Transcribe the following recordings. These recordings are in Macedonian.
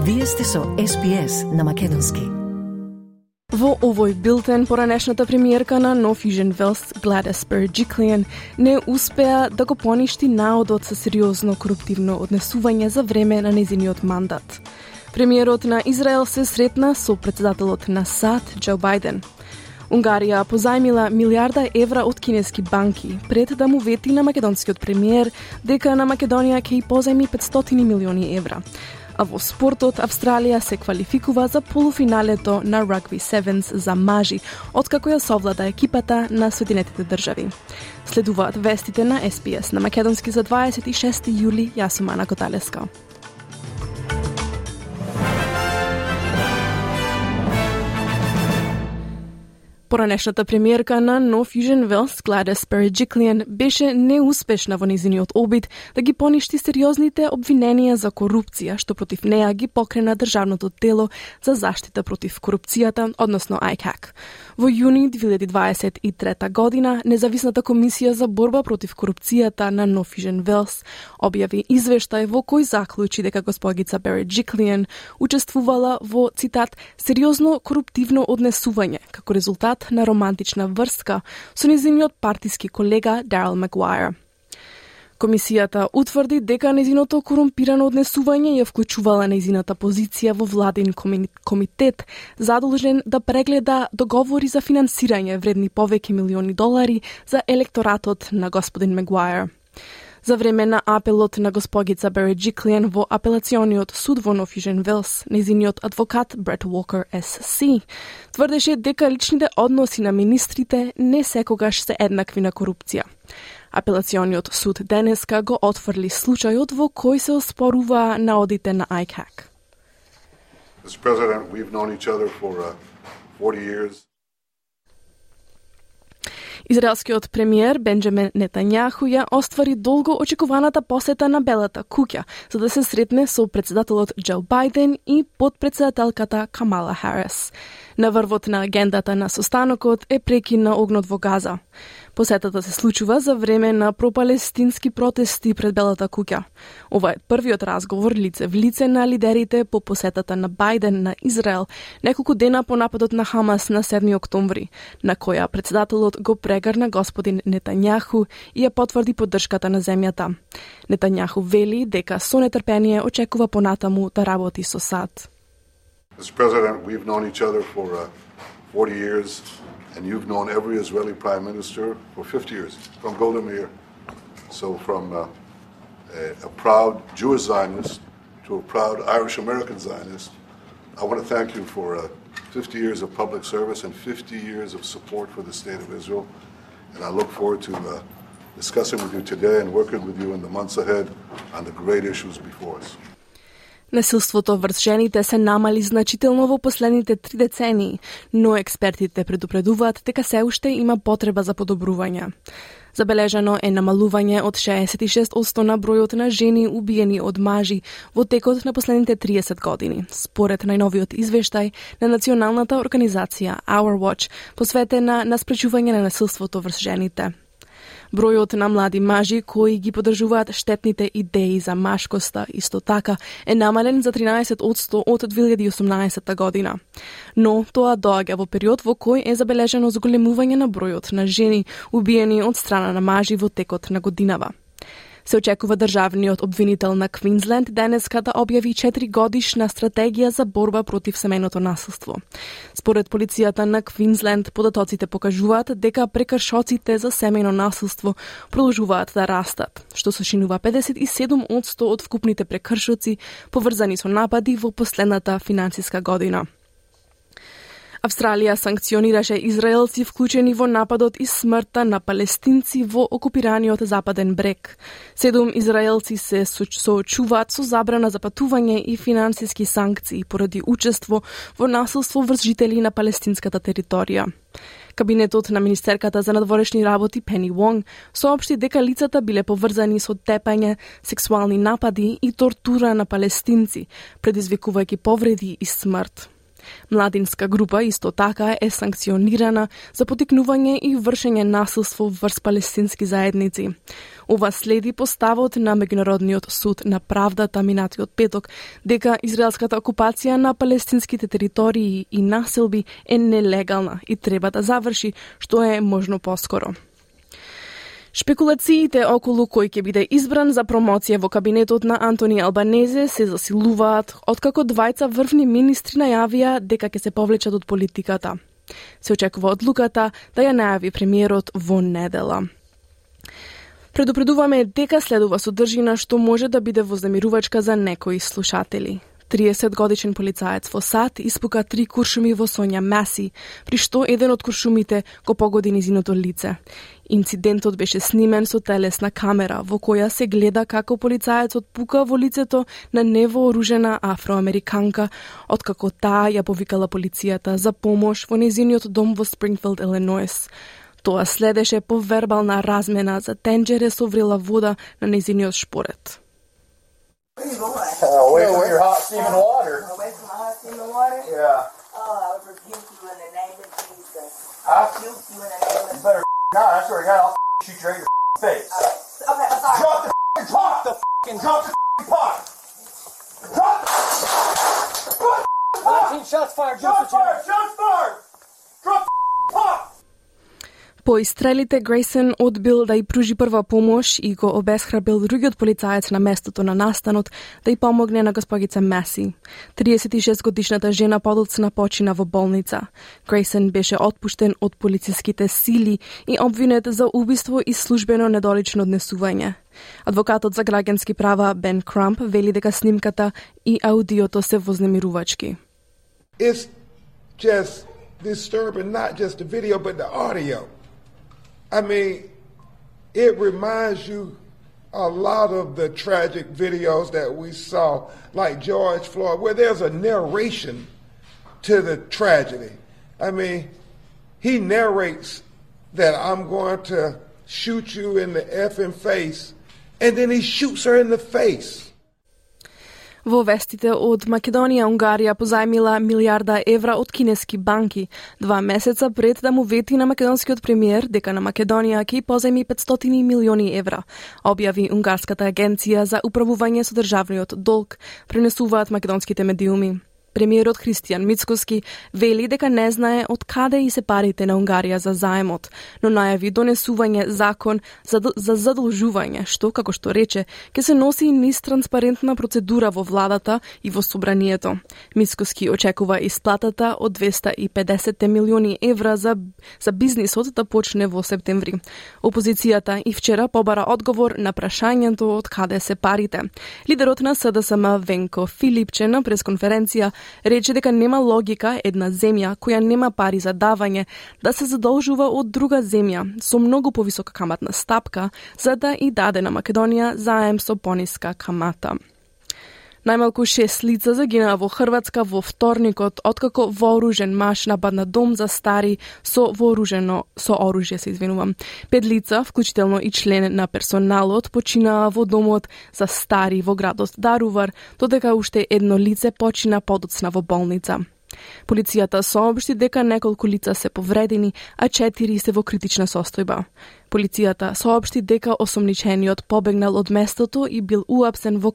Вие сте со SPS на македонски. Во овој билтен, поранешната премиерка на Нов Южен Велс, Gladys Berejiklian, не успеа да го поништи наодот со сериозно коруптивно однесување за време на незиниот мандат. Премиерот на Израел се сретна со председателот на САД, Џо Бајден. Унгарија позајмила милиарда евра од кинески банки пред да му вети на македонскиот премиер дека на Македонија ќе позајми 500 милиони евра. А во спортот, Австралија се квалификува за полуфиналето на Rugby Sevens за мажи, откако ја совлада екипата на Соединетите држави. Следуваат вестите на SPS на македонски за 26 јули, јас сум Ана Коталеска. Поранешната премиерка на Нов Южен Велс, Gladys Berejiklian, беше неуспешна во незиниот обид да ги поништи сериозните обвиненија за корупција, што против неа ги покрена Државното тело за заштита против корупцијата, односно ICAC. Во јуни 2023 година, Независната комисија за борба против корупцијата на Нов Южен Велс објави извештај во кој заклучи дека госпогица Berejiklian учествувала во, цитат, сериозно коруптивно однесување, како резултат на романтична врска со незиниот партиски колега Дарил Магуајер. Комисијата утврди дека незиното корумпирано однесување ја вклучувала незината позиција во владин комитет задолжен да прегледа договори за финансирање вредни повеќе милиони долари за електоратот на господин Магуајер. За време на апелот на госпогица Berejiklian во апелациониот суд во Нов Южен Велс, незиниот адвокат Брет Уокер СС тврдеше дека личните односи на министрите не секогаш се еднакви на корупција. Апелациониот суд денеска го отфрли случајот во кој се оспорува наодите на ICAC. Mr. President, we've known each other for 40 years. Израелскиот премиер Бенџамин Нетањаху ја оствари долго очекуваната посета на Белата куќа, за да се сретне со председателот Џо Бајден и подпредседателката Камала Харис. На врвот на агендата на состанокот е прекин на огнот во Газа. Посетата се случува за време на пропалестински протести пред Белата куќа. Ова е првиот разговор лице в лице на лидерите по посетата на Бајден на Израел неколку дена по нападот на Хамас на 7 октомври, на која председателот го прегрна господин Нетањаху и ја потврди поддршката на земјата. Нетањаху вели дека со нетрпение очекува понатаму да работи со САД. Mr. President, we've known each other for 40 years, and you've known every Israeli Prime Minister for 50 years, from Golda Meir. So from a proud Jewish Zionist to a proud Irish-American Zionist, I want to thank you for 50 years of public service and 50 years of support for the State of Israel. And I look forward to discussing with you today and working with you in the months ahead on the great issues before us. Насилството врз жените се намали значително во последните 3 децении, но експертите предупредуваат дека се уште има потреба за подобрување. Забележано е намалување од 66% на бројот на жени убиени од мажи во текот на последните 30 години, според најновиот извештај на националната организација Our Watch, посветена на спречување на насилството врз жените. Бројот на млади мажи кои ги поддржуваат штетните идеи за машкоста исто така е намален за 13% од 2018 година. Но тоа доаѓа во период во кој е забележено зголемување на бројот на жени убиени од страна на мажи во текот на годинава. Се очекува државниот обвинител на Квинсленд денеска да објави 4-годишна стратегија за борба против семејното насилство. Според полицијата на Квинсленд, податоците покажуваат дека прекршоците за семејно насилство продолжуваат да растат, што сочинува 57% од вкупните прекршоци поврзани со напади во последната финансиска година. Австралија санкционираше израелци вклучени во нападот и смртта на палестинци во окупираниот Западен брег. 7 израелци се соочуваат со забрана за патување и финансиски санкции поради учество во насилство врз жители на палестинската територија. Кабинетот на министерката за надворешни работи Пени Вонг соопшти дека лицата биле поврзани со тепање, сексуални напади и тортура на палестинци, предизвикувајќи повреди и смрт. Младинска група исто така е санкционирана за потикнување и вршење насилство врз палестински заедници. Ова следи поставот на Меѓународниот суд на правдата минатиот петок дека израелската окупација на палестинските територии и населби е нелегална и треба да заврши што е можно поскоро. Шпекулациите околу кој ќе биде избран за промоција во кабинетот на Антони Албанезе се засилуваат, откако двајца врвни министри најавија дека ќе се повлечат од политиката. Се очекува одлуката да ја најави премиерот во недела. Предупредуваме дека следува содржина што може да биде вознемирувачка за некои слушатели. 30-годишен полицаец во САД испука 3 куршуми во Сонја Маси, при што еден од куршумите го погоди низиното лице. Инцидентот беше снимен со телесна камера, во која се гледа како полицаецот пука во лицето на невооружена афроамериканка, откако таа ја повикала полицијата за помош во незиниот дом во Спрингфилд, Илинойс. Тоа следеше по вербална размена за тенџере со врела вода на незиниот шпорет. Away from your hot steaming water. Away from my hot steaming water? Yeah. Oh, I would rebuke you in the name of Jesus. I Rebuke you in the name of You better not. I swear to God, I'll shoot you right in your face. Okay, I'm sorry. Drop the pot. Drop the pot. Drop the 19 shots fired. Shots fired. Shots fired. Drop the pot. По истрелите, Грейсон одбил да ја пружи прва помош и го обесхрабрил другиот полицаец на местото на настанот да ја помогне на госпогица Маси. 36-годишната жена подоцна почина во болница. Грейсон беше отпуштен од полициските сили и обвинет за убиство и службено недолично однесување. Адвокатот за граѓански права Бен Крамп вели дека снимката и аудиото се вознемирувачки. It's just disturbing, not just the video, but the audio. I mean, it reminds you a lot of the tragic videos that we saw, like George Floyd, where there's a narration to the tragedy. I mean, he narrates that I'm going to shoot you in the effing face, and then he shoots her in the face. Во вестите од Македонија, Унгарија позајмила милиарда евра од кинески банки, 2 месеца пред да му вети на македонскиот премиер дека на Македонија ќе позајми 500 милиони евра, објави Унгарската агенција за управување со државниот долг, пренесуваат македонските медиуми. Премиерот Христијан Мицкоски вели дека не знае од каде и се парите на Унгарија за заемот, но најави донесување закон за задолжување, што, како што рече, ќе се носи низ транспарентна процедура во владата и во собранието. Мицкоски очекува исплатата од 250 милиони евра за бизнисот да почне во септември. Опозицијата и вчера побара одговор на прашањето од каде се парите. Лидерот на СДСМ Венко Филипче на пресконференција рече дека нема логика една земја која нема пари за давање да се задолжува од друга земја со многу повисока каматна стапка за да и даде на Македонија заем со пониска камата. Најмалку 6 лица загинаа во Хрватска во вторникот откако вооружен маж нападна дом за стари со оружје, се извинувам. 5 лица, вклучително и член на персоналот, починаа во домот за стари во градот Дарувар, додека уште едно лице почина подоцна во болница. Полицијата соопшти дека неколку лица се повредени, а 4 се во критична состојба. Полицијата соопшти дека осомничениот побегнал од местото и бил уапсен во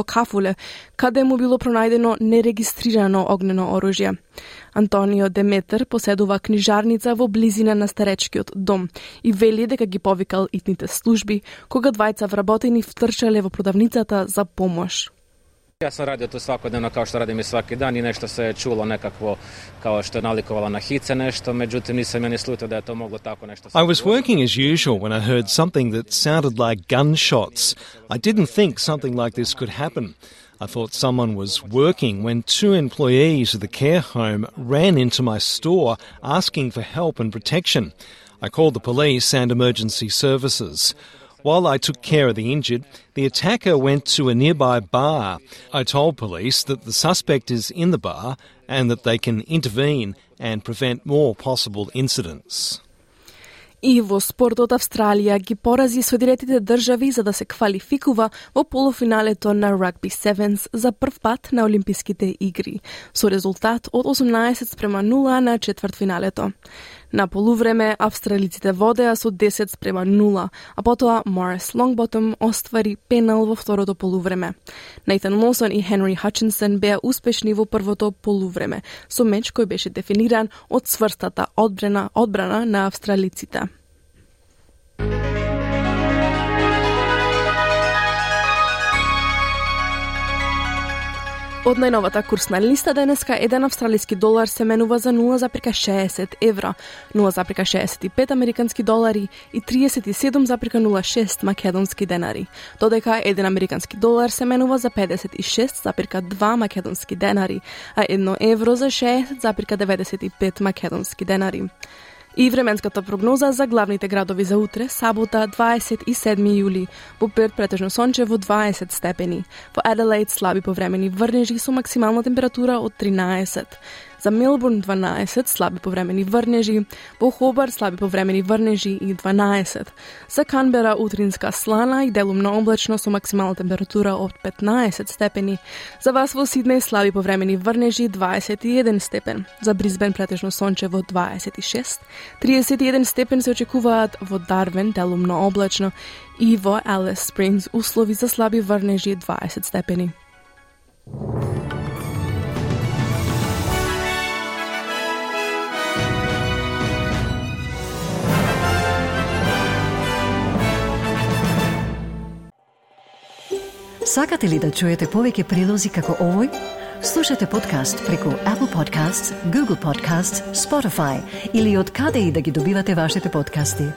Кафуле, каде му било пронајдено нерегистрирано огнено оружје. Антонио Деметер поседува книжарница во близина на старечкиот дом и вели дека ги повикал итните служби кога двајца вработени втрчале во продавницата за помош. Ja sam radio to svakodnevno kao što radim i svaki dan i nešto se je čulo nekakvo kao što je nalikovalo na hice nešto, međutim nisam ja ni slutio da je to moglo tako nešto. I was working as usual when I heard something that sounded like gunshots. I didn't think something like this could happen. I thought someone was working when 2 employees of the care home ran into my store asking for help and protection. I called the police and emergency services. While I took care of the injured, the attacker went to a nearby bar. I told police that the suspect is in the bar and that they can intervene and prevent more possible incidents. И во спортот Австралија ги порази соединетите држави за да се квалификува во полуфиналето на Rugby Sevens за прв пат на Олимписките игри, со резултат од 18:0 на четвртфиналето. На полувреме австралиците водеа со 10:0, а потоа Морис Лонгботом оствари пенал во второто полувреме. Нейтан Лоусон и Хенри Хатчинсон беа успешни во првото полувреме, со меч кој беше дефиниран од цврстата одбрана на австралиците. Од најновата курсна листа денеска еден австралиски долар се менува за 0,60 евра, 0,65 американски долари и 37,06 македонски денари, додека еден американски долар се менува за 56,2 македонски денари, а 1 евро за 60,95 македонски денари. И временската прогноза за главните градови за утре, сабота, 27 јули. Во Перт претежно сончево 20 степени. Во Аделаид слаби повремени врнежи со максимална температура од 13. За Мелбурн 12, слаби повремени врнежи. Во Хобарт слаби повремени врнежи и 12. За Канбера утринска слана и делумно облачно со максимална температура од 15 степени. За вас во Сиднеј слаби повремени врнежи 21 степен. За Брисбен претежно сончево 26. 31 степен се очекуваат во Дарвин делумно облачно и во Алис Спрингс услови за слаби врнежи 20 степени. Сакате ли да чуете повеќе прилози како овој? Слушате подкаст преку Apple Podcasts, Google Podcasts, Spotify или од каде и да ги добивате вашите подкасти.